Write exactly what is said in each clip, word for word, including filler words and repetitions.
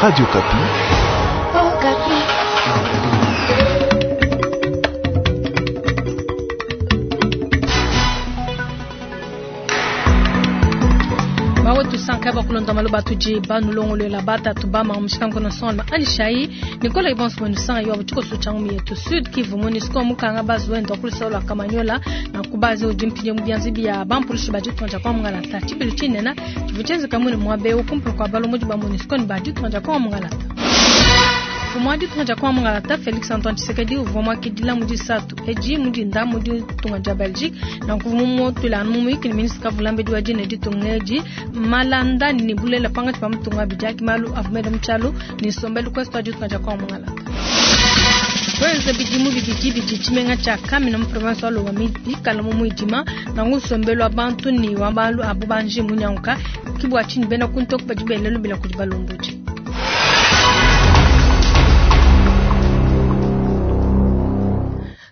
Radio Okapi. Okapi. Mawetu sanka bakulonda maloba tudi banulongolola batatu bama mushikango na sonma anishai Nicolas Ibons mwenu sanga yo butiko suchangu yetu Sud Kivu MONUSCO mukanga bazuendo kulisola Kamanyola na kubaze ujimpinye mubyanzi bya bampulushi bajitonja kwa mungalata chibilu chinena chivuchenze kamune mwabe ukumpulu kwa balomoji ba MONUSCO ni bajitonja kwa mungalata Fumwadi tunga kwa mungalata Felix Antoine Tshisekedi uvua mwakidila mudi satu eji mudi nda mudi tunga ja Belgique na kuvumu tula mumu ikini ministre kavulambe diwa jine ditunga eji malanda ni bulela panga chipa mutunga bijaki malu avumele mchalo ni sombelu kwesto adi tunga kwa mungalata Kwenze bidimu bibidi bidi chimenga cha Kamina mu province wa Lomami bikala mu muidima na ngusombelu abantu ni wabalu abubanji munyanka kibwa chini bena kuntoku bajibelelu bila kujibalomboji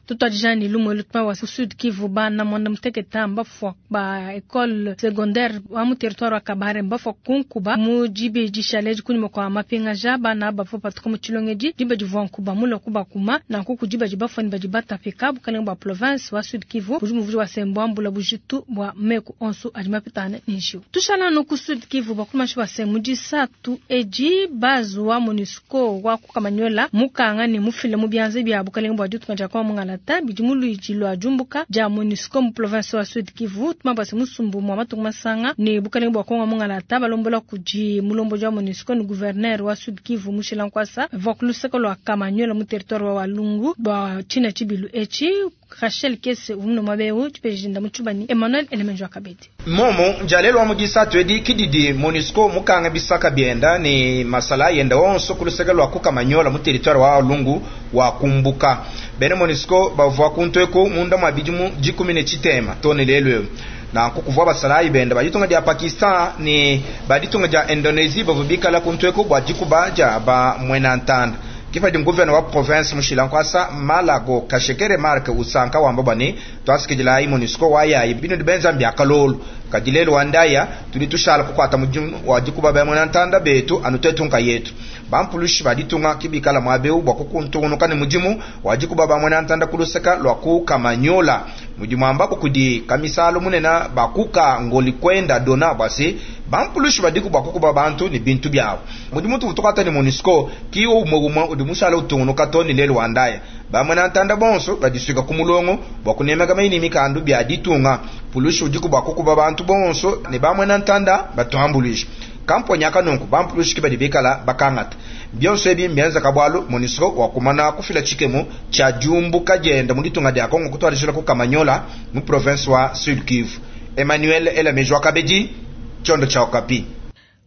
tutwajani lumwe lutuma wa Sud Kivu bana mwanda muteketa mbafwa ba école secondaire wa mu territoire wa Kabare mbafwa kunkuba mu jibe jishaleji kunyuma kwa mapinga ja bana bafwa patuka mu chilongeji jibe jivwa nkuba mulo kuba kuma na nkuku jibe jibafwa ni bajibata pika bukalenga bwa province wa Sud Kivu bujumu vuji wa sembo ambula bujitu bwa meku onsu ajimapitane nishiu tushala no ku Sud Kivu bakuma shi wa semu jisatu eji bazu wa MONUSCO wa kukamanyola mukanga ni mufile mu byanze bya bukalenga bwa ditunga kwa mungala bidi muluiji lwa jumbuka ja MONUSCO mu province wa Sud Kivu tumabase musumbu mwa matungu masanga ni bukalenga bwa Kongo mungalata balombola kuji mulombo ja MONUSCO ni gouverneur wa Sud Kivu Mushila Nkwasa va kuluseka lwa Kamanyola mu territoire wa Walungu bwa china chibilu echi Rachel Kese umno mabewu chipejinda muchubani Emmanuel Elemenjo Akabedi momo njalelwa mujisatu edi kididi MONUSCO mukanga bisaka byenda ni masala yenda onso kuluseka lwa kukamanyola mu territoire wa Walungu wa kumbuka bene MONUSCO bavua kuntweko munda mwa bidimu dikumi ne tshitema tone lelo na kukuvua basalayi benda baditunga dia Pakistan ni baditunga dia Indonesia bavua bikala kuntweko bua dikuba dia ba mwena ntanda kipadi mguverneur wa province Mushila Nkwasa Malago Kashekere Mark usanka wamba bani twasikijila MONUSCO wayayi bino dibenza mbyakalolo kadilelo wandaya tudi tushala kukwata mudimu wa dikuba ba mwena ntanda betu anu tetunka yetu bampulushi baditunga kibikala mwabeu bwa kukuntunuka ni mudimu wa dikuba ba mwena ntanda kuluseka lwa kukamanyola mudimu ambako kudi kamisalo munena bakuka ngoli kwenda dona bwase bampulushi badiku bwa kukuba bantu ni bintu byabo mudimu tuvutukata ni MONUSCO kiwo umwe umwe udi mushala utungunuka to ni lelo wandaya bamwena ntanda bonso badisuika ku mulongo bwa kunemeka maini mikandu bya ditunga pulushi udiku bwa kukuba bantu bonso ne bamwena ntanda batuambulisha kamponya kanunku bampulushi kibadi bikala bakangata byonso ebi mbianza kabwalu MONUSCO wakumana kufila chikemo cha jumbuka jenda muditunga dia Kongo kutwalishila ku Kamanyola mu province wa Sud Kivu. Emmanuel Elamejwa Kabedi, chondo cha Okapi.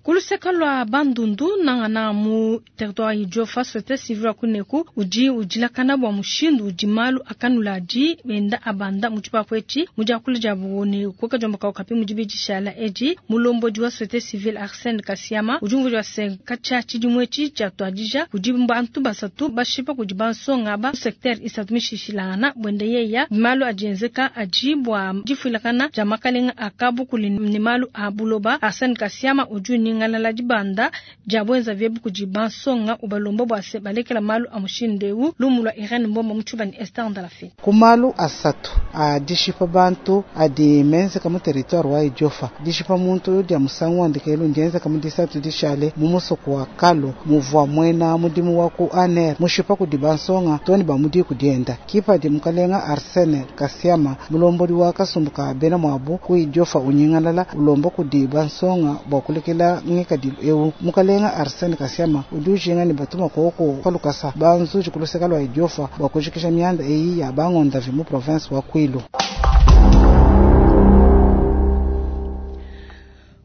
Kuluseka lwa Bandundu nangana mu territoire Idiofa société civile kuneku uji ujilakana bwa mushindu ujimalu akanula aji benda abanda muchipa kwechi muja kulija buone kuka jomba ka Okapi mujibi jishala eji mulomboji wa société civile Arsène Kasiama ujumvu wa senkacha chidimwechi cha twajija kujimba bantu basatu bashipa kujibansonga ba secteur isatu mishishilana bwende yeya malu ajenzeka ajibwa jifilakana jamakalenga akabu kulini malu abuloba Arsène Kasiama uju ngalala dibanda jabwenza vyebu kujibansonga ubalomba bwase balekela malu amushindewu lumulwa Irene Mbomba muchubani Esther Ndalafi kumalu asatu adishipa bantu adi menzeka mu territoire wa Idiofa dishipa muntu dia musangu andikelu ndiyenzeka mu disatu dishale mu musoko wa Kalo muvua mwena mudimu wa ku aner mushipa kudibansonga toni bamudi kudienda kipa di mukalenga Arsene Kasiama mulomboli wa kasumbuka bena mwabu ku Idiofa unyingalala ulomba kudibansonga bwa kulekela ngikadilu ewu mukalenga Arsene Kasiama udi ujinga ni batuma koko palukasa banzuji kuluseka lwa Idiofa bwa kujikisha mianda eyi ya bangondavi mu province wa Kwilu.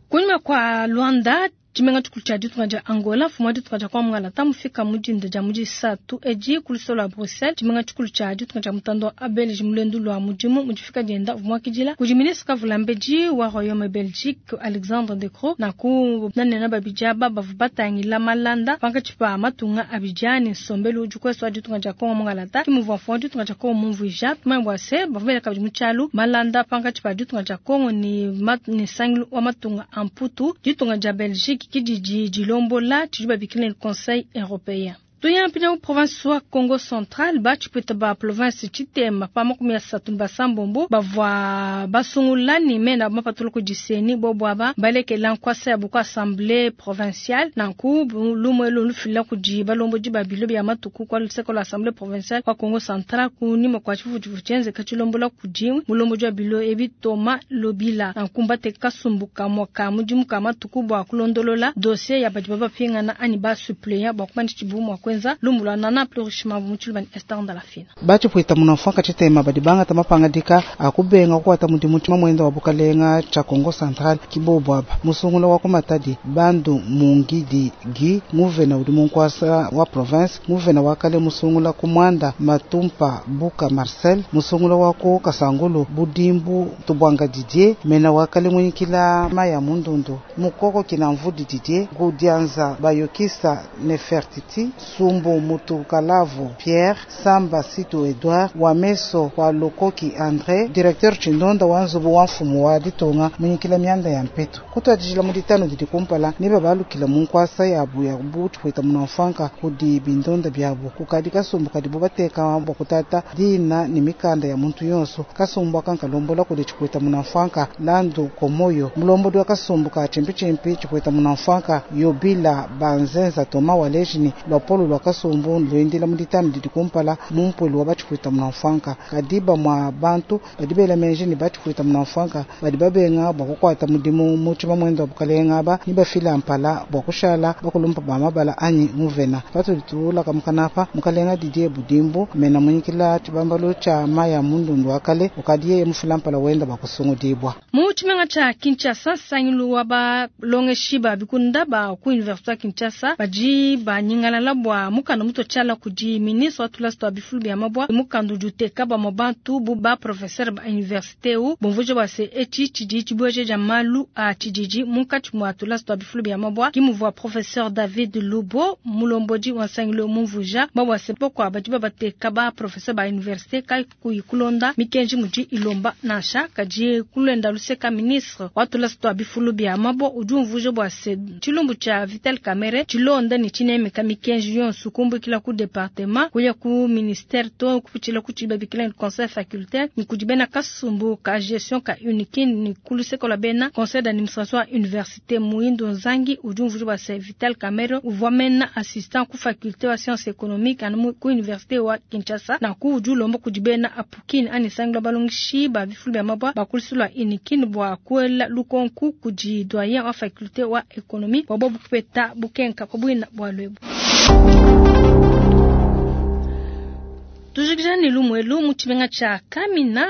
Kunyuma kwa Luanda chimenga chikulu cha ditunga ja Angola fuma ditunga ja kwa mungala tamufika mujinda ja muji satu eji kulusolo la Bruxelles chimenga chikulu cha ditunga ja mutando wa Belgique mulendu lwa mujimu mujifika jenda vumwakijila kuji ministre kavulambeji wa Royaume Belgique Alexandre De Croo na ku nanena babija baba vubatangila malanda pankachipa matunga abijani nsombelu ujukweso wa ditunga ja Kongo mungala ta kimuvwa fuma ditunga ja Kongo mumvuija tumaimbwa se bavumela kabidi muchalu malanda pankachipa ditunga ja Kongo ni mat, ni sangilu wa matunga amputu ditunga ja Belgique Afrique kididi dilombola tshidi babikila ne Conseil européen. Tuya mpina mu province wa Congo Central batshipwita ba province tshitema pa makumi asatu ne basambombo bavua basungula ne mena mapatula ku diseni bobo aba balekela nkwasa ya buku assemblée provinciale nanku lumwe elu lufila kudi balombodi ba bilo bya matuku kwa luseko la assemblée provinciale wa Congo Central kunyima kua tshivutshivu tshienzeka tshilombola kudi mulombodi wa bilo ebi Thomas Lobila nanku mbateka kasumbu kamue ka mudimu ka matuku bua kulondolola dossier ya badi babapingana anyi ba suppléant bua kumanya tshidibu mua kuenza lumbulwa nana plus richement mu Esther Ndalafina. Batshipwita munafwanka tshitema badi bangata mapangadika akubenga kukwata mudimu mamwenda wa bukalenga cha Congo Central kibobo aba musungula wa kumatadi bandu mungidi gi nguvena udi munkwasa wa province nguvena wa kale musungula kumwanda matumpa buka Marcel musungula wa ku Kasangulu budimbu tubwanga Didier mena wa kale munyikila maya mundundu mukoko kina mvudi Didier gudianza bayokisa Nefertiti Sumbu Mutukalavu Pierre Samba Situ Edouard Wameso wa Lokoki André directeur Chindonda wa nzubu wa mfumu wa ditonga munyikila mianda ya mpeto kutwadijila mu ditano didi kumpala niba balukila mu nkwasa yabu ya butu munamfanka kudi bindonda byabu kukadi kasumbu kadibu bateka bwa kutata dina ni mikanda ya muntu yonso kasumbu akankalombola kudi chikweta munamfanka landu komoyo mulombodi wa kasumbu ka chimpichimpi chikweta munamfanka yobila banzenza Toma walejini lwapolo lwa kasumbu lwendela mu ditano didi kumpala mumpwelu wa bachikweta munamfanka kadiba mwa bantu badi bela menje ni bachikweta munamfanka badi babenga bwa kukwata mudimu muchima mwendo wa bukalenga aba ni bafila mpala bwa kushala bakulumpa ba mabala anyi muvena patulitula kamukanapa mukalenga Didier Budimbu mena munyikila chibambalo cha maya mundundu wakale ukadiye mufila mpala wenda bakusungudibwa mu tshimenga tsha Kinshasa sangilu wa balongeshi ba bikunda ba ku université ya Kinshasa badi banyingalala bwa mukanda muto tshala kudi ministre wa tulasi twa bifulu bya mabwa mukanda udi uteka bamue bantu bu ba professeur ba université u bumvuja bua se etshi tshidi tshibueje dia malu a tshididi munkatshi mua tulasi twa bifulu bya mabwa kimuvua professeur David Lubo mulombodi wa nsangilu mumvuja bua se pokua badi babateka ba professeur ba université kai kuyi kulonda mikenji mudi ilomba nansha kadi kulenda luseka ministre wa tulasi twa bifulu bya mabwa udi umvuja bua se tshilumbu tsha Vital Kamerhe tshilonda ne tshinemeka mikenji yonso kumbukila ku département kuya ku ministère to kupitshila ku tshibabikila conseil facultaire ni kudi bena kasumbu ka gestion ka unikin ni kuluseko la bena conseil d'administration ya université Muindo Nzangi udi umvuja bua se Vital Kamerhe uvua mena assistant ku faculté wa sciences économiques anu ku université wa Kinshasa na ku udi ulomba kudi bena apukini ani sangila balongishi ba bifulu bya mabwa bakulusulwa unikin bua kuela lukonku kudi doyen wa faculté wa économie bua bobu kupeta bukenka kwa bwina bua lwebu. Tujikija ni lumwelu mu tshimenga tsha Kamina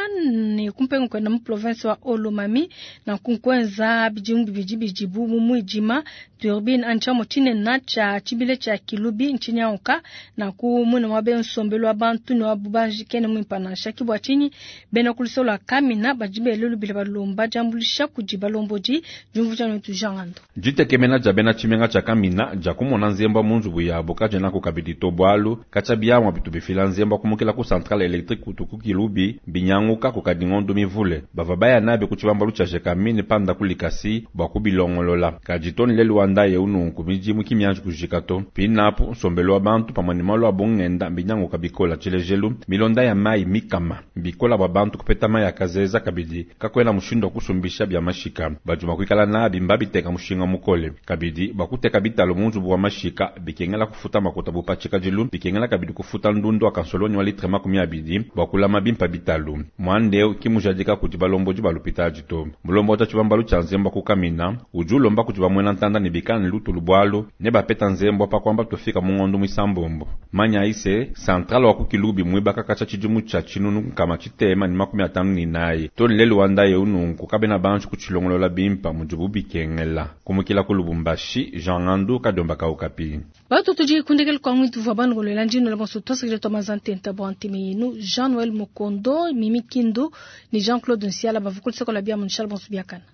ne kumpenga kwenda mu province wa Olomami na kunkwenza bidimu bibidi bidibu mu muidima turbine antsha tshinene tsha tshibile tsha Kilubi ntshinyanka na ku muna wa bensombelo wa bantu ne wa bubanji kene muimpa nansha kibwa tshinyi bena kulusolo la Kamina badi belelu bile balomba diambulisha kudi balombodi diumvuja ne tujangando ditekemena dia bena tshimenga tsha Kamina dia kumona nzemba mu nzubu yabo kadiena kukabidi to bualu katshia biamua bitu bifila nzemba kumukila ku centrale électrique kutu ku Kilubi binyanguka kukadi ngondo mivule bava baya nabe ku tshibambalu tsha Gécamines panda kulikasi bua kubilongolola kadi toni lelu wanda ye ununku midimu kimianji kujika to pinapu nsombelo wa bantu pamue ne malu a bungenda binyanguka bikola tshilejelu milonda ya mai mikama bikola bua bantu kupeta mai akazeza kabidi kakwena mushindu wa kusumbisha bya mashika bajuma kuikala nabi mbabiteka mushinga mukole kabidi bakuteka bitalo mu nzubu wa mashika bikengela kufuta makuta bupatshika dilu bikengela kabidi kufuta ndundu akansoloni wa litre makumi abidi bua kulama bimpa bitalu mwandeo kimujadika kuti balombodi balupita to mulombo wa tshibambalu tshia nzembo kukamina udi ulomba kuti bamwena ntanda ne bikala ne lutulu bualu ne bapeta nzembo pa kwamba tofika mu ngondo mwisambombo manya ise centrale wa kukilubi mwibaka katsha tshidimu tsha tshinunu nkama tshitema ne makumi atanu ne inayi to lelu wanda ye ununku kabena bantu kutshilongolola bimpa mudibu bikengela kumukila ku Lubumbashi Jean Ngandu kadomba kaukapi batu tudi kundekele kwa ngwitu vwa banu golela njino la bonso tosikile to mazantenta bo antime yinu Jean Noël Mokondo Mimi Kindo ni Jean-Claude Nsiala bavukul sekola bia munshala bonso biakana.